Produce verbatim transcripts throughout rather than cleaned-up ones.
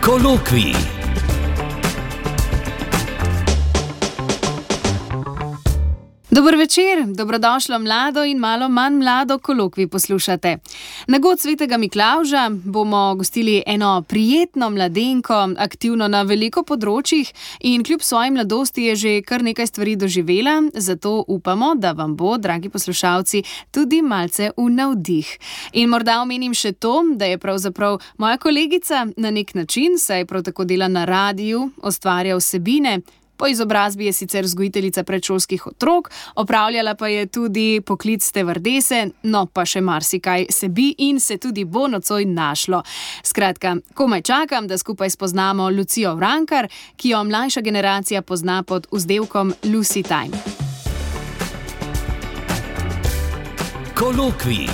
Kolokvij. Dober večer, dobrodošlo mlado in malo manj mlado kolokvij poslušate. Na god svetega Miklavža bomo gostili eno prijetno mladenko, aktivno na veliko področjih in kljub svoji mladosti je že kar nekaj stvari doživela, zato upamo, da vam bo, dragi poslušalci, tudi malce v navdih. In morda omenim še to, da je pravzaprav moja kolegica na nek način, saj prav tako dela na radiju, ustvarja vsebine. Po izobrazbi je sicer vzgojiteljica predšolskih otrok, opravljala pa je tudi poklic stevardese, no pa še marsikaj se bi in se tudi bo nocoj našlo. Skratka, komaj čakam, da skupaj spoznamo Lucijo Vrankar, ki jo mlajša generacija pozna pod vzdevkom Lucy Time. Kolokvij.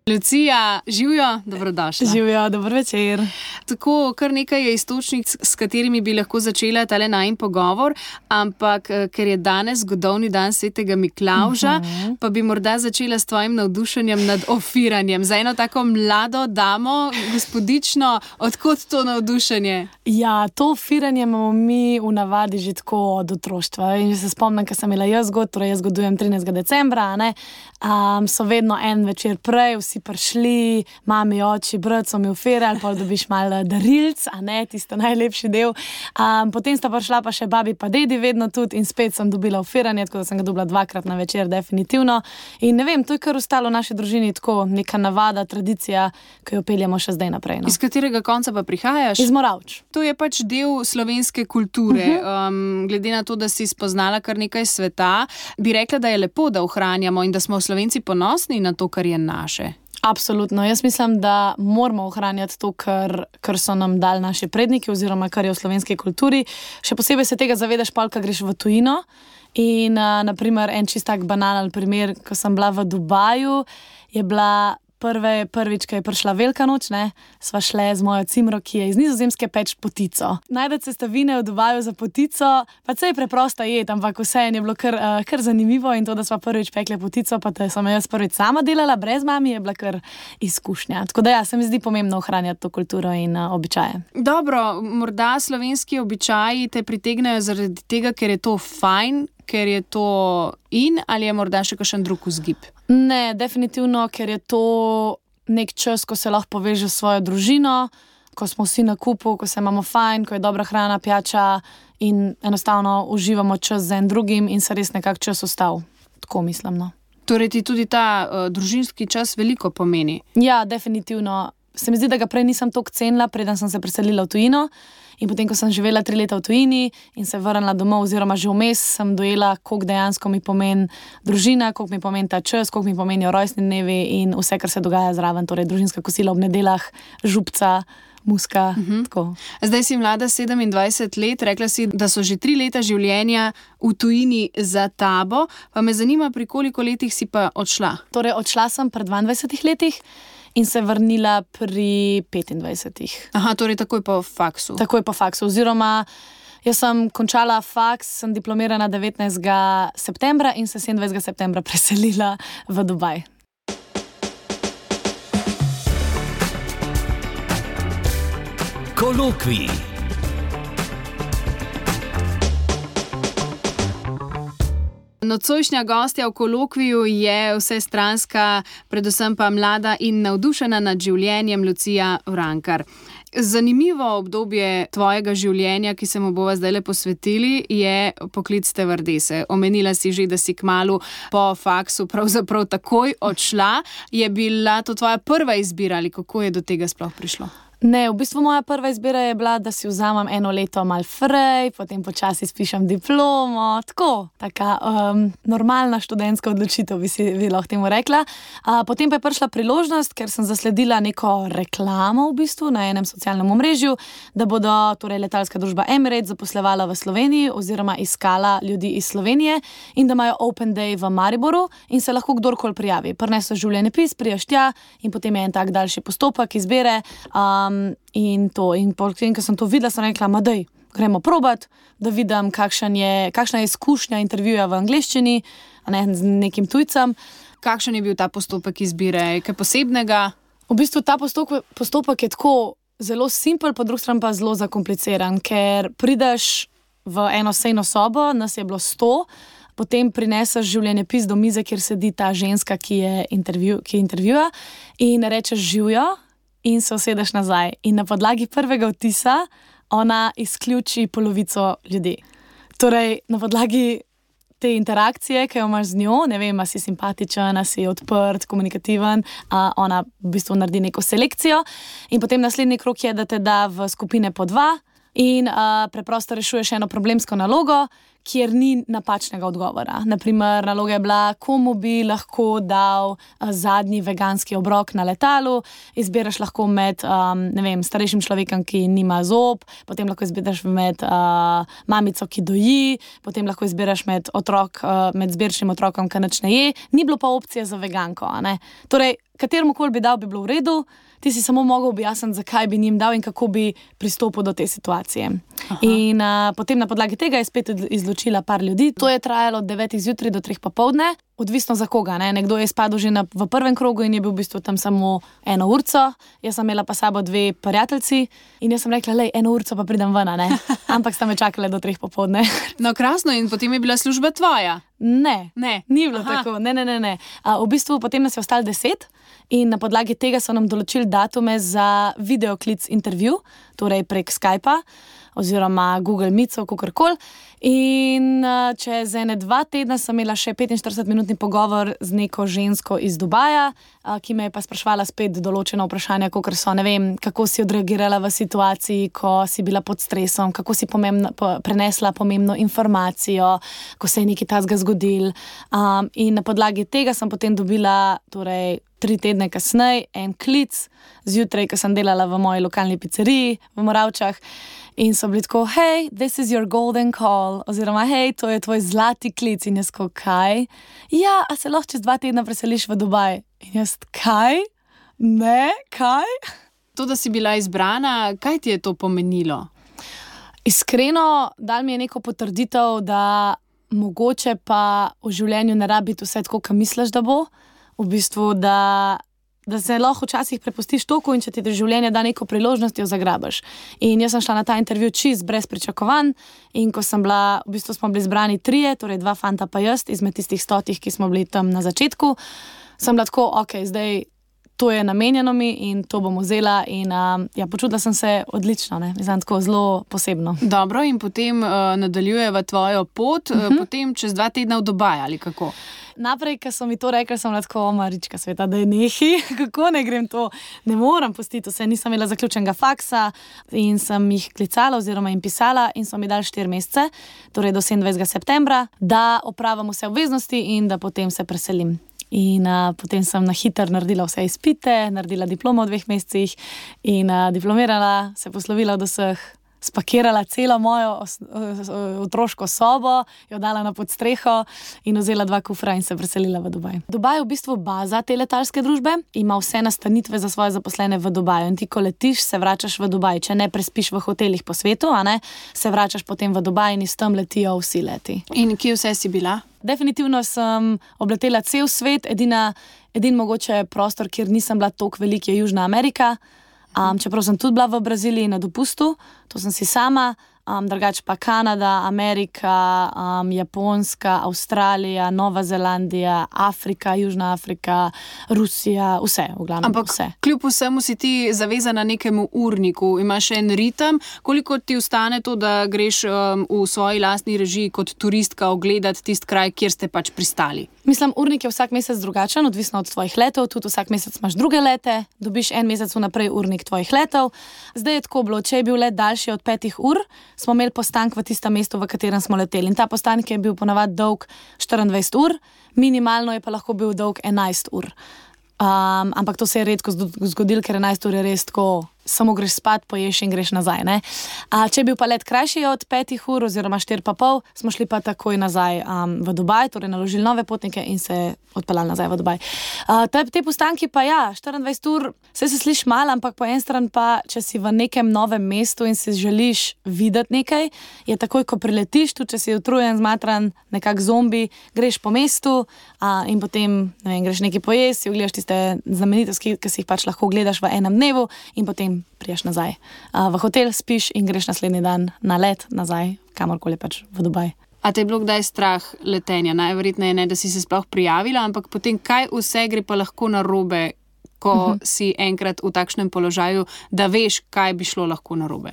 Lucija, živjo, dobrodošla. Živjo, dober večer. Tako, kar nekaj je iztočnic, s katerimi bi lahko začela tale najin pogovor, ampak ker je danes zgodovni dan svetega Miklavža, uh-huh. pa bi morda začela s tvojim navdušenjem nad ofiranjem. Za eno tako mlado damo, gospodično, odkot to navdušenje? Ja, to ofiranje imamo mi v navadi že tako od otroštva. In že se spomnim, ko sem imela jaz god, torej jaz godujem trinajstega decembra, ne, um, so vedno en večer prej, vsi prišli, mami, oči, brat so mi ofirali, pol dobiš malo darilc, a ne, tisto najlepši del. Um, potem sta prišla pa še babi pa dedi vedno tudi in spet sem dobila ofiranje, tako da sem ga dobila dvakrat na večer, definitivno. In ne vem, to je kar ostalo v naši družini tako neka navada, tradicija, ki jo peljemo še zdaj naprej. No. Iz katerega konca pa prihajaš? Iz Moravč. To je pač del slovenske kulture. Um, glede na to, da si spoznala kar nekaj sveta, bi rekla, da je lepo, da ohranjamo in da smo Slovenci ponosni na to, kar je naše. Absolutno. Jaz mislim, da moramo ohranjati to, kar, kar so nam dali naši predniki oziroma kar je v slovenski kulturi. Še posebej se tega zavedaš pol, ko greš v tujino. In uh, naprimer en čist tak banalen primer, ko sem bila v Dubaju, je bila Prve, prvič, ko je prišla velika noč, ne, sva šle z mojo cimro, ki je iz Nizozemske, peč potico. Najdete sestavine v Dubaju za potico, pa se je preprosta jed, ampak vseeno je bilo kar, uh, kar zanimivo in to, da sva prvič pekle potico, pa da sem jaz prvič sama delala, brez mami, je bila kar izkušnja. Tako da ja, se mi zdi pomembno ohranjati to kulturo in uh, običaje. Dobro, morda slovenski običaji te pritegnejo zaradi tega, ker je to fajn, ker je to in, ali je morda še kakšen drug vzgib? Ne, definitivno, ker je to nek čas, ko se lahko poveže s svojo družino, ko smo vsi na kupu, ko se imamo fajn, ko je dobra hrana, pijača in enostavno uživamo čas z en drugim in se res nekak čas ostal. Tako mislim, no. Torej ti tudi ta uh, družinski čas veliko pomeni? Ja, definitivno. Se mi zdi, da ga prej nisem toliko cenila, preden sem se preselila v tujino. In potem, ko sem živela tri leta v tujini in se vrnila domov, oziroma že vmes, sem dojela, koliko dejansko mi pomeni družina, koliko mi pomeni ta čas, koliko mi pomenijo rojstni dnevi in vse, kar se dogaja zraven, torej družinska kosila ob nedeljah, župca, muska, uh-huh. tako. Zdaj si mlada sedemindvajset let, rekla si, da so že tri leta življenja v tujini za tabo, pa me zanima, pri koliko letih si pa odšla? Torej, odšla sem pri dvaindvajsetih letih. In se vrnila pri petindvajsetih. Aha, torej takoj po faksu. Takoj po faksu, oziroma jaz sem končala faks, sem diplomirana devetnajstega septembra in se sedemindvajsetega septembra preselila v Dubaj. Kolokvij. Nocojšnja gostja v kolokviju je vsestranska, predvsem pa mlada in navdušena nad življenjem Lucija Vrankar. Zanimivo obdobje tvojega življenja, ki se mu bova zdajle posvetili, je poklic stevardese. Omenila si že, da si kmalu po faksu pravzaprav takoj odšla. Je bila to tvoja prva izbira ali kako je do tega sploh prišlo? Ne, v bistvu moja prva izbira je bila, da si vzamem eno leto mal frej, potem počasi spišem diplomo, tako, taka um, normalna študentska odločitev, bi si bi lahko temu rekla. Uh, potem pa je prišla priložnost, ker sem zasledila neko reklamo v bistvu na enem socialnem omrežju, da bodo torej letalska družba Emirates zaposlevala v Sloveniji oziroma iskala ljudi iz Slovenije in da imajo Open Day v Mariboru in se lahko kdorkoli prijavi. Prinesel življenjepis, prijaš tja in potem je en tak daljši postopek izbere. Um, In to, in potem, ko sem to videla, sem rekla, ma dej, gremo probat, da vidim, kakšen je, kakšna je izkušnja intervjuja v angleščini, a ne z nekim tujcem. Kakšen je bil ta postopek izbire? Kaj posebnega? V bistvu ta postopek, postopek je tako zelo simpel, po drugi strani pa zelo zakompliciran, ker prideš v eno sejno sobo, nas je bilo sto, potem prineseš življenjepis do mize, kjer sedi ta ženska, ki je intervju, ki intervjuja, in rečeš živjo in se usedeš nazaj. In na podlagi prvega vtisa ona izključi polovico ljudi. Torej, na podlagi te interakcije, ki jo imaš z njo, ne vem, a si simpatičen, a si odprt, komunikativen, a ona v bistvu naredi neko selekcijo in potem naslednji krog je, da te da v skupine po dva in a, preprosto rešuješ eno problemsko nalogo, kjer ni napačnega odgovora. Naprimer, naloga je bila, komu bi lahko dal a, zadnji veganski obrok na letalu, izbiraš lahko med um, ne vem, starejšim človekom, ki nima zob, potem lahko izbiraš med uh, mamico, ki doji, potem lahko izbiraš med, otrok, uh, med zbirčnim otrokom, ki nič ne je, ni bilo pa opcije za veganko. A ne? Torej, kateromukoli bi dal, bi bilo v redu, ti si samo mogel objasniti, zakaj bi njim dal in kako bi pristopil do te situacije. Aha. In uh, potem na podlagi tega je spet izločila par ljudi. To je trajalo od devetih zjutraj do treh popoldne, odvisno za koga. Ne? Nekdo je spadal že na, v prvem krogu in je bil v bistvu tam samo eno urco, jaz sem imela pa sabo dve prijateljci in jaz sem rekla, lej, eno urco pa pridem ven, ne? Ampak sta me čakale do treh popoldne. No, krasno, in potem je bila služba tvoja? Ne, ne. Ni bilo Aha. tako, ne, ne, ne. ne. A, v bistvu potem nas je ostalo deset in na podlagi tega so nam določili datume za videoklic intervju, torej prek Skypa oziroma Google Meet, kakorkoli. In uh, čez ene dva tedna sem imela še petinštiridesetminutni pogovor z neko žensko iz Dubaja, uh, ki me je pa spraševala spet določena vprašanja, kakor so, ne vem, kako si odreagirala v situaciji, ko si bila pod stresom, kako si pomembno, po, prenesla pomembno informacijo, ko se je nekaj takega zgodil. Um, in na podlagi tega sem potem dobila, torej, tri tedne kasneje, en klic zjutraj, ko sem delala v moji lokalni pizzeriji v Moravčah. In so bili tako, hej, this is your golden call, oziroma hej, to je tvoj zlati klic. In jaz ko, kaj? Ja, a se lahko čez dva tedna preseliš v Dubaj? In jaz, kaj? Ne, kaj? To, da si bila izbrana, kaj ti je to pomenilo? Iskreno, dal mi je neko potrditev, da mogoče pa v življenju ne rabi biti vse tako, kot misliš, da bo. V bistvu, da, da se lahko včasih prepustiš toku in če ti življenje da neko priložnost, jo zagrabiš. In jaz sem šla na ta intervju čist brez pričakovanj in ko sem bila, v bistvu smo bili zbrani trije, torej dva fanta pa jaz, izmed tistih stotih, ki smo bili tam na začetku, sem bila tako, ok, zdaj to je namenjeno mi in to bom vzela in um, ja, počutila sem se odlično, ne, mislim, tako zelo posebno. Dobro, in potem uh, nadaljujeva tvojo pot, uh-huh. uh, potem čez dva tedna v Dubaj ali kako? Naprej, ko so mi to rekli, sem lahko, Marička sveta, da je nehi, kako ne grem to, ne moram pustiti vse, nisem imela zaključenega faksa in sem jih klicala oziroma jim pisala in so mi dali štiri mesece, torej do sedemindvajsetega septembra, da opravim vse obveznosti in da potem se preselim. In uh, potem sem na hitro naredila vse izpite, naredila diplomo v dveh mesecih in uh, diplomirala, se poslovila od vseh, spakirala celo mojo os, os, otroško sobo, jo dala na podstreho in vzela dva kufra in se preselila v Dubaj. Dubaj je v bistvu baza te letalske družbe, ima vse nastanitve za svoje zaposlene v Dubaju in ti, ko letiš, se vračaš v Dubaj. Če ne prespiš v hotelih po svetu, a ne, se vračaš potem v Dubaj in iz tam letijo vsi leti. In kje vse si bila? Definitivno sem obletela cel svet, edina, edin mogoče prostor, kjer nisem bila toliko velik, je Južna Amerika. Um, čeprav sem tudi bila v Braziliji na dopustu, to sem si sama, um, drugače pa Kanada, Amerika, um, Japonska, Avstralija, Nova Zelandija, Afrika, Južna Afrika, Rusija, vse, v glavnem. Ampak vse. Kljub vsemu si ti zavezana nekemu urniku, imaš en ritem, koliko ti ostane to, da greš um, v svoji lastni režiji kot turistka ogledati tisti kraj, kjer ste pač pristali? Mislim, urnik je vsak mesec drugačen, odvisno od tvojih letov, tudi vsak mesec imaš druge lete, dobiš en mesec vnaprej urnik tvojih letov. Zdaj je tako bilo, če je bil let daljši od petih ur, smo imeli postank v tistem mestu, v katerem smo leteli. In ta postank je bil ponavadi dolg štiriindvajset ur, minimalno je pa lahko bil dolg enajst ur. Um, ampak to se je redko zgodilo, ker enajst ur je res tako samo greš spat, poješ in greš nazaj. Ne? A, če je bil pa let krajši od petih ur oziroma štiri pa pol, smo šli pa takoj nazaj um, v Dubaj, torej naložili nove potnike in se odpeljali nazaj v Dubaj. Uh, te, te postanki pa ja, štiriindvajset ur, vse se sliši malo, ampak po en stran pa, če si v nekem novem mestu in si želiš videti nekaj, je takoj, ko priletiš, tudi če si utrujen, zmatran, nekak zombi, greš po mestu uh, in potem ne vem, greš nekaj pojesti, ogledaš tiste znamenitosti, ki si jih pač lahko gledaš v enem dnevu in potem priješ nazaj uh, v hotel, spiš in greš naslednji dan na let nazaj, kamorkoli pač v Dubaj. A te je bilo kdaj strah letenja? Najverjetneje ne, da si se sploh prijavila, ampak potem kaj vse gre pa lahko narobe, ko uh-huh. si enkrat v takšnem položaju, da veš, kaj bi šlo lahko narobe?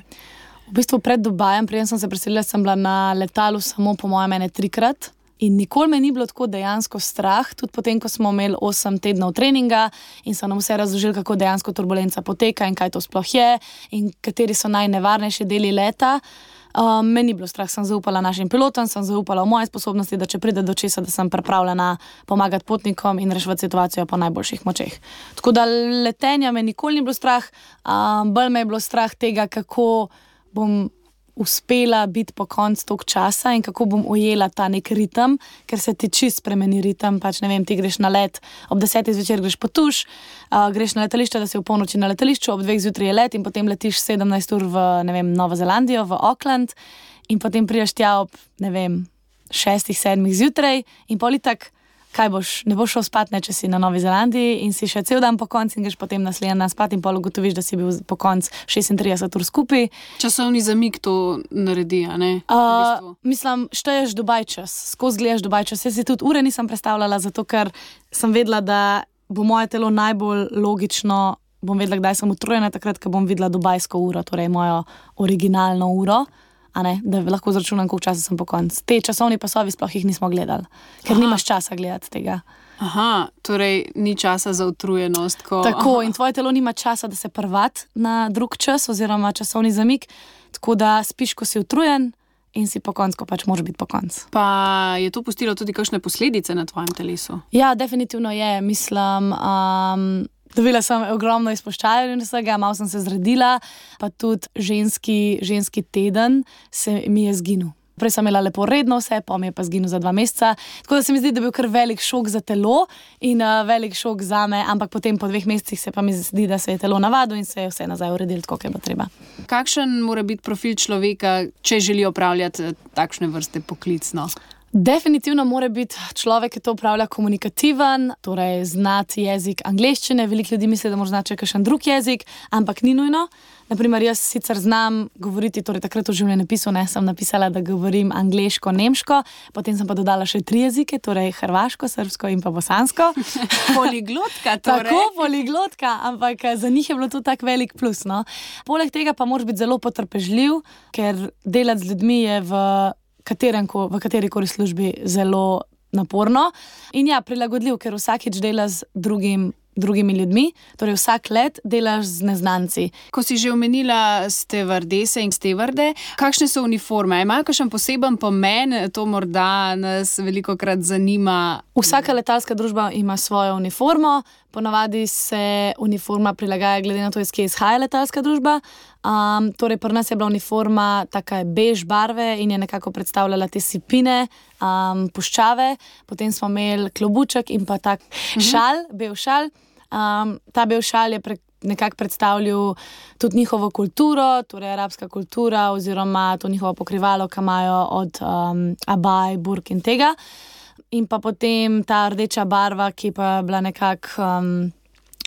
V bistvu pred Dubajem, preden sem se preselila, sem bila na letalu samo po mojem ene trikrat. In nikoli me ni bilo tako dejansko strah, tudi potem, ko smo imeli osem tednov treninga in so nam vse razložili, kako dejansko turbulenca poteka in kaj to sploh je in kateri so najnevarnejši deli leta. Um, me ni bilo strah, sem zaupala našim pilotom, sem zaupala v moje sposobnosti, da če pride do česa, da sem pripravljena pomagati potnikom in reševati situacijo po najboljših močeh. Tako da letenja me nikoli ni bilo strah, um, bolj me je bilo strah tega, kako bom uspela biti po koncu tog časa in kako bom ujela ta nek ritem, ker se ti čist spremeni ritem, pač ne vem, ti greš na let, ob desetih zvečer greš po tuš, uh, greš na letališče, da si v polnoči na letališču, ob dveh zjutraj je let in potem letiš sedemnajst ur v, ne vem, Novo Zelandijo, v Auckland in potem prideš tja ob, ne vem, šestih, sedmih zjutraj in pol itak, kaj boš, ne boš šel spat, ne, če si na Novi Zelandiji in si še cel dan po koncu in greš potem naslednji dan spat in pol ugotoviš, da si bil po koncu šestintrideset ur skupaj. Časovni zamik to naredi, a ne? Uh, v bistvu. Mislim, šteješ Dubaj čas, skozi gledaš Dubaj čas. Jaz si tudi ure nisem predstavljala, zato ker sem vedela, da bo moje telo najbolj logično, bom vedela, kdaj sem utrujena, takrat, ko bom videla dubajsko uro, torej mojo originalno uro. A ne, da lahko zračunam, koliko časa sem po koncu. Te časovni pasovi sploh jih nismo gledali, ker Aha. nimaš časa gledati tega. Aha, torej ni časa za utrujenost. Ko... Tako, Aha. in tvoje telo nima časa, da se prvat na drug čas oziroma časovni zamik, tako da spiš, ko si utrujen in si po koncu, ko pač moraš biti po koncu. Pa je to pustilo tudi kakšne posledice na tvojem telesu? Ja, definitivno je, mislim... Um, Dobila sem ogromno izpuščajev in vsega, malo sem se zredila, pa tudi ženski, ženski teden se mi je zginil. Prej sem imela lepo redno vse, pa mi je pa zginil za dva meseca. Tako da se mi zdi, da je bil kar velik šok za telo in uh, velik šok za me, ampak potem po dveh mesecih se pa mi zdi, da se je telo navadilo in se je vse nazaj uredilo, tako je bilo treba. Kakšen mora biti profil človeka, če želi opravljati takšne vrste poklicno? Definitivno mora biti človek, ki to upravlja, komunikativen, torej znati jezik angleščine. Veliko ljudi misli, da mora znati kakšen drug jezik, ampak ni nujno. Naprimer, jaz sicer znam govoriti, torej takrat v življenjepisu ne, sem napisala, da govorim angleško, nemško, potem sem pa dodala še tri jezike, torej hrvaško, srbsko in pa bosansko. Poliglotka torej. Tako, poliglotka, ampak za njih je bilo to tak velik plus, no. Poleg tega pa moraš biti zelo potrpežljiv, ker delati z ljudmi je v Katerenko, v katerikoli službi zelo naporno. In ja, prilagodljiv, ker vsakič delaš z drugim, drugimi ljudmi, torej vsak let delaš z neznanci. Ko si že omenila stevardese in stevarde, kakšne so uniforme? Imajo kakšen poseben pomen? To morda nas velikokrat zanima. Vsaka letalska družba ima svojo uniformo, ponavadi se uniforma prilagaja glede na to, iz kje izhaja letalska družba. Um, torej, pri nas je bila uniforma taka bež barve in je nekako predstavljala te sipine, um, puščave. Potem smo imeli klobuček in pa tak mhm. šal, bel šal. Um, ta bel šal je pre, nekako predstavljal tudi njihovo kulturo, torej arabska kultura oziroma to njihovo pokrivalo, ki imajo od um, abaj, burk in tega. In pa potem ta rdeča barva, ki pa je bila nekako um,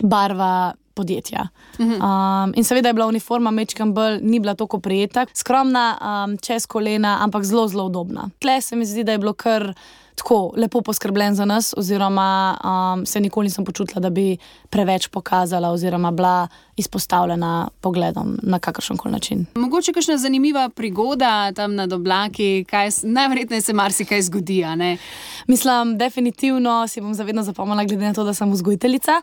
barva podjetja. Um, in seveda je bila uniforma mečkam bolj, ni bila toliko prijeta, skromna, um, čez kolena, ampak zelo, zelo udobna. Tle se mi zdi, da je bilo kar tako lepo poskrbljen za nas, oziroma um, se nikoli nisem počutila, da bi preveč pokazala oziroma bila izpostavljena pogledom na kakršenkoli način. Mogoče kakšna zanimiva prigoda tam nad oblaki, kaj, najverjetneje se marsikaj zgodi, a ne? Mislim, definitivno si bom zavedno zapomnila, glede na to, da sem vzgojiteljica.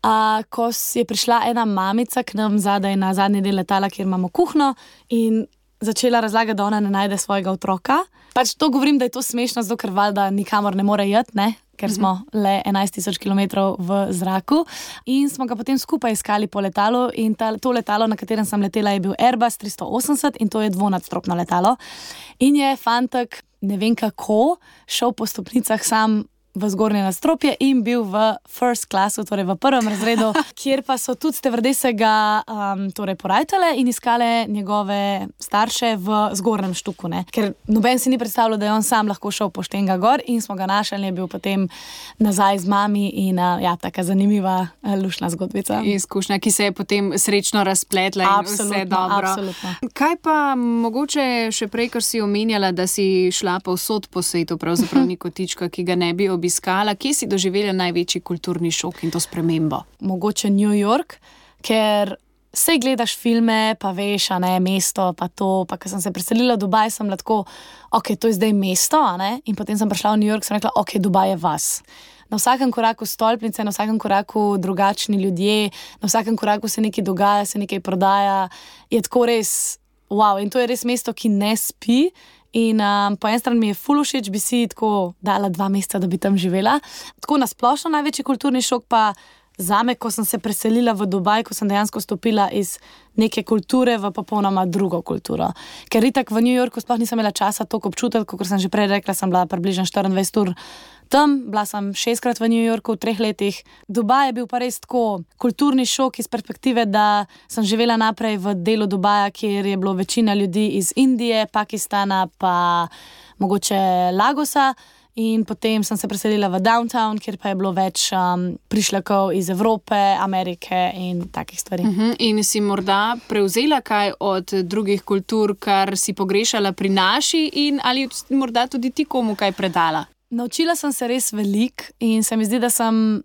Uh, ko je prišla ena mamica k nam zadaj na zadnji del letala, kjer imamo kuhno in začela razlagati, da ona ne najde svojega otroka. Pač to govorim, da je to smešno, zato ker valjda nikamor ne more iti, ne? Ker smo le enajst tisoč kilometrov v zraku in smo ga potem skupaj iskali po letalu in ta, to letalo, na katerem sem letela, je bil Airbus tristo osemdeset in to je dvonadstropno letalo. In je fantek, ne vem kako, šel po stopnicah sam v zgornje nadstropje in bil v first classu, torej v prvem razredu, kjer pa so tudi stevardese ga um, torej porajtale in iskale njegove starše v zgornjem štuku, ne. Ker noben si ni predstavljal, da je on sam lahko šel pošten ga gor in smo ga našli in je bil potem nazaj z mami in uh, ja, taka zanimiva, uh, lušna zgodbica. Izkušnja, ki se je potem srečno razpletla in Absolutno, vse dobro. absolutno. Kaj pa mogoče še prej, ker si omenjala, da si šla povsod po svetu, pravzaprav ni kotička, ki ga ne bi obiskala, kje si doživela največji kulturni šok in to spremembo? Mogoče New York, ker sej gledaš filme, pa veš, a ne, mesto, pa to, pa ko sem se preselila v Dubaj, sem lahko, ok, to je zdaj mesto, a ne, in potem sem prišla v New York, sem rekla, ok, Dubaj je vas. Na vsakem koraku stolpnice, na vsakem koraku drugačni ljudje, na vsakem koraku se nekaj dogaja, se nekaj prodaja, je tako res, wow, in to je res mesto, ki ne spi. In um, po eni strani mi je ful všeč, bi si tako dala dva meseca, da bi tam živela. Tako nasplošno največji kulturni šok pa zame, ko sem se preselila v Dubaj, ko sem dejansko stopila iz neke kulture v popolnoma drugo kulturo. Ker itak v New Yorku sploh nisem imela časa toliko občutiti, kot sem že prej rekla, sem bila približno štiriindvajset ur tam, bila sem šestkrat v New Yorku v treh letih. Dubaj je bil pa res tako kulturni šok iz perspektive, da sem živela naprej v delu Dubaja, kjer je bilo večina ljudi iz Indije, Pakistana pa mogoče Lagosa. In potem sem se preselila v downtown, kjer pa je bilo več um, prišlekov iz Evrope, Amerike in takih stvari. Uh-huh. In si morda prevzela kaj od drugih kultur, kar si pogrešala pri naši in ali morda tudi ti komu kaj predala? Naučila sem se res veliko in se mi zdi, da sem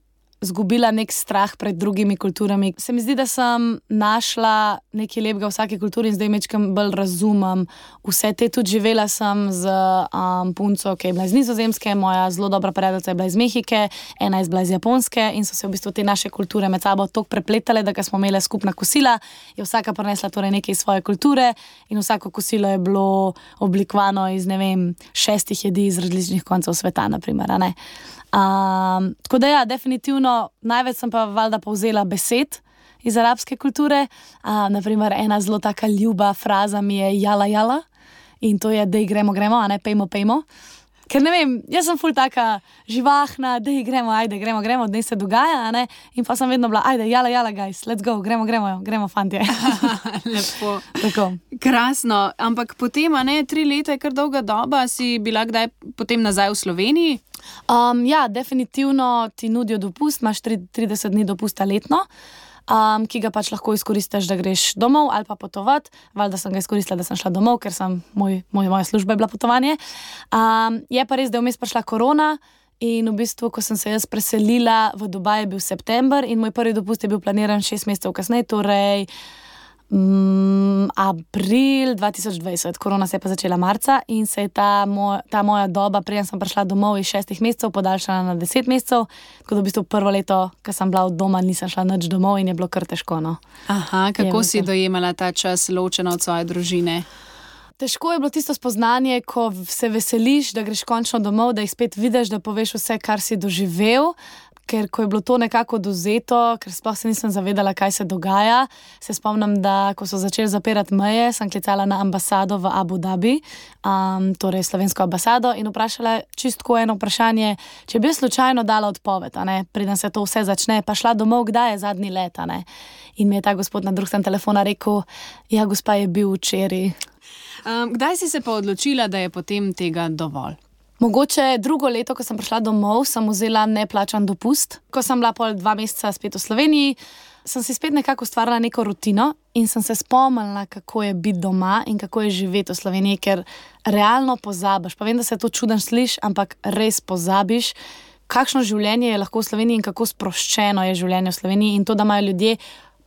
zgubila nek strah pred drugimi kulturami. Se mi zdi, da sem našla nekaj lepega v vsaki kulturi in zdaj mečkam bolj razumem vse te. Tudi živela sem z um, punco, ki je bila iz Nizozemske, moja zelo dobra prijateljica je bila iz Mehike, ena je bila iz Japonske in so se v bistvu te naše kulture med sabo toliko prepletale, da ko smo imeli skupna kosila, je vsaka prinesla torej nekaj svoje kulture in vsako kosilo je bilo oblikovano iz, ne vem, šestih jedi iz različnih koncev sveta, na primer, a ne. Um, tako da ja, definitivno največ sem pa valjda povzela besed iz arabske kulture. Um, naprimer, ena zelo taka ljuba fraza mi je jala jala in to je dej gremo gremo, a ne pejmo pejmo. Ker ne vem, jaz sem ful taka živahna, dej gremo, ajde gremo gremo, dnej se dogaja, a ne, in pa sem vedno bila, ajde jala jala guys, let's go, gremo gremo, gremo fantje. Lepo. Tako. Krasno, ampak potem, a ne, tri leta je kar dolga doba, si bila kdaj potem nazaj v Sloveniji? Um, ja, definitivno ti nudijo dopust, imaš trideset dni dopusta letno, um, ki ga pač lahko izkoristiš, da greš domov ali pa potovat. Valjda sem ga izkoristila, da sem šla domov, ker sem, moj, moj, moja služba je bila potovanje. Um, je pa res, da je vmes prišla korona in v bistvu, ko sem se jaz preselila v Dubaj, je bil september in moj prvi dopust je bil planiran šest mesecev kasneje, torej Mm, april dva tisoč dvajset, korona se je pa začela marca in se je ta, moj, ta moja doba, preden sem prišla domov iz šestih mesecev, podaljšala na deset mesecev, tako da v bistvu prvo leto, ko sem bila od doma, nisem šla nič domov in je bilo kar težko, no. Aha, kako je si dojemala ta čas ločena od svoje družine? Težko je bilo tisto spoznanje, ko se veseliš, da greš končno domov, da jih spet vidiš, da poveš vse, kar si doživel. Ker ko je bilo to nekako dozeto, ker sploh se nisem zavedala, kaj se dogaja, se spomnim, da ko so začeli zapirati meje, sem klicala na ambasado v Abu Dhabi, um, torej slovensko ambasado, in vprašala čistko eno vprašanje, če bi slučajno dala odpoved, a ne, preden se to vse začne, pa šla domov, kdaj je zadnji let, a ne. In mi je ta gospod na drugem strani telefona rekel, ja, gospa, je bil včeraj. Um, kdaj si se pa odločila, da je potem tega dovolj? Mogoče drugo leto, ko sem prišla domov, sem vzela neplačan dopust. Ko sem bila pol dva meseca spet v Sloveniji, sem si spet nekako ustvarila neko rutino in sem se spomnila, kako je biti doma in kako je živeti v Sloveniji, ker realno pozabiš. Pa vem, da se to čudno sliši, ampak res pozabiš, kakšno življenje je lahko v Sloveniji in kako sproščeno je življenje v Sloveniji in to, da imajo ljudje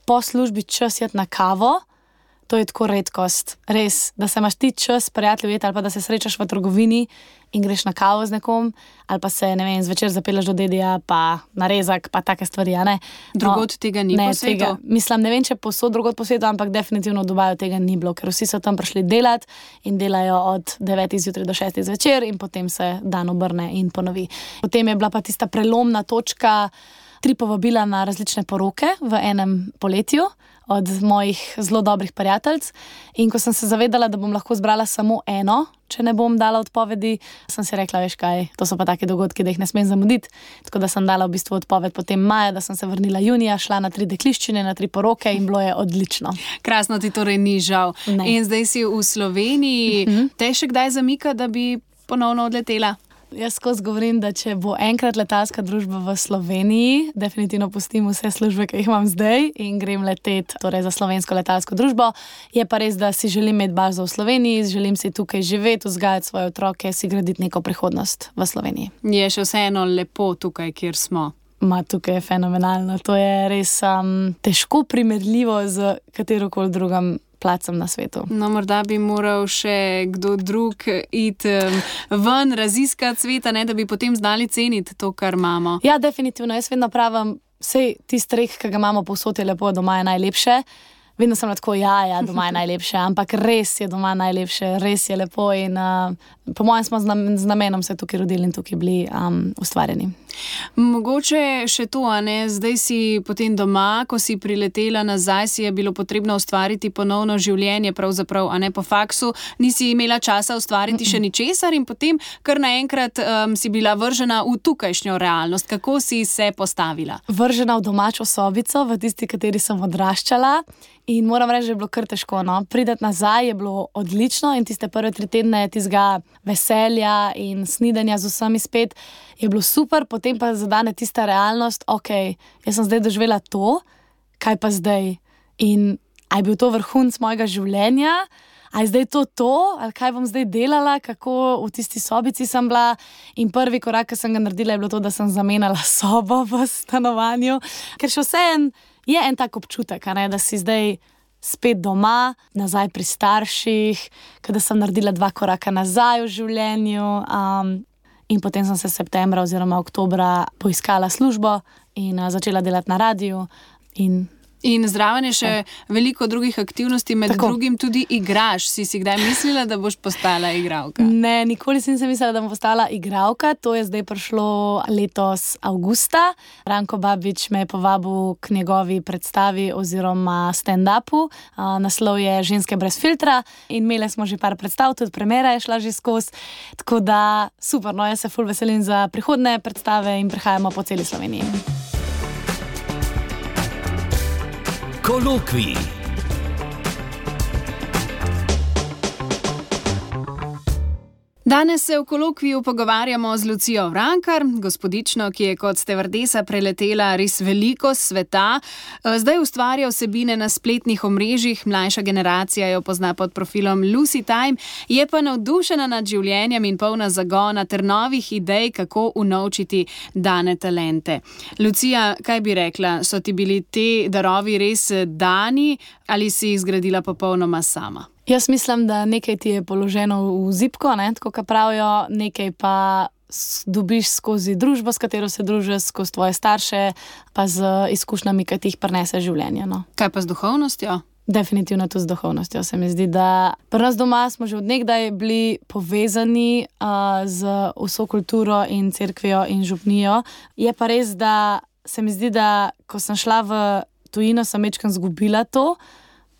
po službi čas jeti na kavo, to je tako redkost. Res, da se imaš ti čas prijatelj ujeti ali pa da se srečaš v trgovini in greš na kavo z nekom ali pa se, ne vem, zvečer zapeleš do dedija pa na rezak pa take stvari, a ne. Drugod no, tega ni ne, po svetu? Tega, mislim, ne vem, če posod drugod po svetu, ampak definitivno v Dubaju tega ni bilo, ker vsi so tam prišli delati in delajo od devetih zjutraj do šestih zvečer in potem se dan obrne in ponovi. Potem je bila pa tista prelomna točka, tri povabila na različne poroke v enem poletju od mojih zelo dobrih prijateljic. In ko sem se zavedala, da bom lahko zbrala samo eno, če ne bom dala odpovedi, sem si rekla, veš kaj, to so pa take dogodki, da jih ne smem zamuditi. Tako da sem dala v bistvu odpoved potem maja, da sem se vrnila junija, šla na tri dekliščine, na tri poroke in bilo je odlično. Krasno, ti torej ni žal. Ne. In zdaj si v Sloveniji, uh-huh. te še kdaj zamika, da bi ponovno odletela? Jaz skozi govorim, da če bo enkrat letalska družba v Sloveniji, definitivno pustim vse službe, ki jih imam zdaj in grem letet torej za slovensko letalsko družbo. Je pa res, da si želim imeti bazo v Sloveniji, želim si tukaj živeti, vzgajati svoje otroke, si graditi neko prihodnost v Sloveniji. Je še vseeno lepo tukaj, kjer smo? Ma, tukaj je fenomenalno. To je res um, težko primerljivo z katerokoli drugim placem na svetu. No, morda bi moral še kdo drug iti um, ven, raziskati sveta, ne, da bi potem znali ceniti to, kar imamo. Ja, definitivno. Jaz vedno pravim, sej tisti rek, ki ga imamo povsod, je lepo, doma je najlepše. Vedno sem tako, ja, ja, doma je najlepše, ampak res je doma najlepše, res je lepo in uh, po mojem smo z namenom se tukaj rodili in tukaj bili um, ustvarjeni. Mogoče še to, a ne, zdaj si potem doma, ko si priletela nazaj, si je bilo potrebno ustvariti ponovno življenje, pravzaprav, a ne po faksu, nisi imela časa ustvariti še ničesar in potem kar naenkrat um, si bila vržena v tukajšnjo realnost. Kako si se postavila? Vržena v domačo sobico, v tisti, kateri sem odraščala. In moram reči, da je bilo kar težko. No? Prideti nazaj je bilo odlično in tiste prve tri tedne tistega veselja in snidanja z vsemi spet je bilo super, potem pa zadane tista realnost, ok, jaz sem zdaj doživela to, kaj pa zdaj? In a je bil to vrhunec mojega življenja? A je zdaj to to? Ali kaj bom zdaj delala? Kako v tisti sobici sem bila? In prvi korak, ki sem ga naredila, je bilo to, da sem zamenjala sobo v stanovanju. Ker še vseeno je en tak občutek, a ne, da si zdaj spet doma, nazaj pri starših, kada sem naredila dva koraka nazaj v življenju um, in potem sem se septembra oziroma oktobra poiskala službo in uh, začela delati na radiju in In zraven je še veliko drugih aktivnosti, med Tako. drugim tudi igraš. Si si kdaj mislila, da boš postala igralka? Ne, nikoli si nisem mislila, da bom postala igralka. To je zdaj prišlo letos avgusta. Ranko Babič me je povabil k njegovi predstavi oziroma stand-upu. Uh, naslov je Ženske brez filtra in imeli smo že par predstav, tudi premiera je šla že skozi. Tako da super, no, jaz se ful veselim za prihodne predstave in prihajamo po celi Sloveniji. Kolokvij. Danes se v kolokviju pogovarjamo z Lucijo Vrankar, gospodično, ki je kot stevardesa preletela res veliko sveta. Zdaj ustvarja vsebine na spletnih omrežjih, mlajša generacija jo pozna pod profilom Lucy Time, je pa navdušena nad življenjem in polna zagona ter novih idej, kako unovčiti dane talente. Lucija, kaj bi rekla, so ti bili te darovi res dani ali si jih zgradila popolnoma sama? Jaz mislim, da nekaj ti je položeno v zibko, ne, tako kot pravijo, nekaj pa dobiš skozi družbo, s katero se družiš, skozi tvoje starše, pa z izkušnjami, ki ti jih prinese življenje. No. Kaj pa z duhovnostjo? Definitivno tudi z duhovnostjo. Se mi zdi, da pri nas doma smo že od nekdaj bili povezani uh, z vso kulturo in cerkvijo in župnijo. Je pa res, da se mi zdi, da ko sem šla v tujino, sem večkrat zgubila to.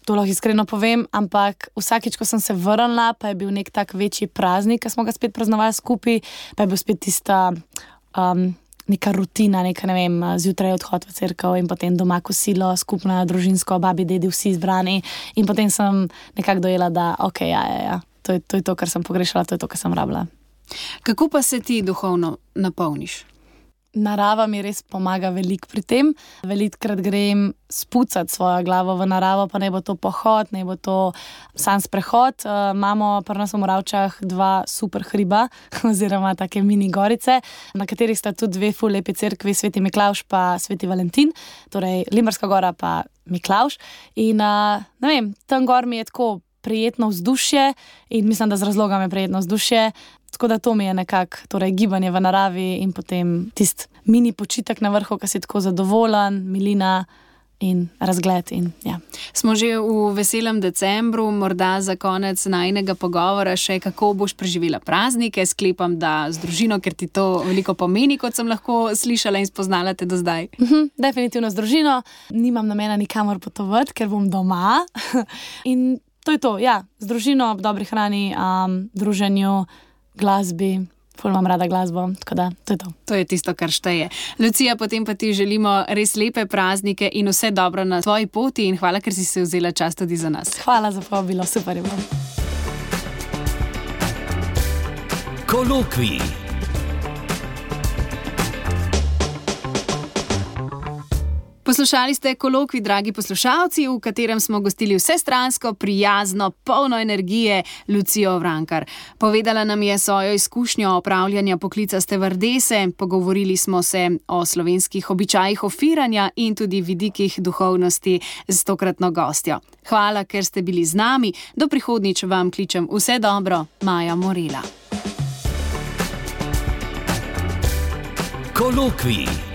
To lahko iskreno povem, ampak vsakič, ko sem se vrnila, pa je bil nek tak večji praznik, ki smo ga spet praznovali skupaj, pa je bil spet tista um, neka rutina, neka, ne vem, zjutraj odhod v cerkev in potem doma kosilo, skupno družinsko, babi, dedi, vsi izbrani in potem sem nekako dojela, da ok, ja, ja, ja, to je, to je to, kar sem pogrešala, to je to, kar sem rabila. Kako pa se ti duhovno napolniš? narava mi res pomaga veliko pri tem. Velikokrat grem spucati svojo glavo v naravo, pa ne bo to pohod, ne bo to sam sprehod. Uh, imamo pri nas v Moravčah dva super hriba, oziroma take mini gorice, na katerih sta tudi dve ful lepi cerkvi, Sveti Miklavž pa Sveti Valentin, torej Limberska gora pa Miklavž. In uh, ne vem, tam gor mi je tako prijetno vzdušje in mislim, da z razlogom je prijetno vzdušje. Tako da to mi je nekako, torej gibanje v naravi in potem tisti mini počitek na vrhu, ki si tako zadovoljen, milina in razgled. In, ja. Smo že v veselem decembru, morda za konec najinega pogovora še, kako boš preživela praznike. Sklepam, da z družino, ker ti to veliko pomeni, kot sem lahko slišala in spoznala te do zdaj. Mhm, definitivno z družino. Nimam namena nikamor potovati, ker bom doma. In to je to, ja, z družino, ob dobri hrani, um, druženju, glasbi, ful imam rada glasbo, tako da to je to. To je tisto, kar šteje. Lucija, potem pa ti želimo res lepe praznike in vse dobro na tvoji poti in hvala, ker si se vzela čas tudi za nas. Hvala za povabilo, super je bilo. Kolokvij. Poslušali ste Kolokvij, dragi poslušalci, v katerem smo gostili vsestransko, prijazno, polno energije Lucijo Vrankar. Povedala nam je svojo izkušnjo opravljanja poklica stevardese, pogovorili smo se o slovenskih običajih ofiranja in tudi vidikih duhovnosti z tokratno gostjo. Hvala, ker ste bili z nami. Do prihodnjič vam kličem vse dobro, Maja Morela. Kolokvij.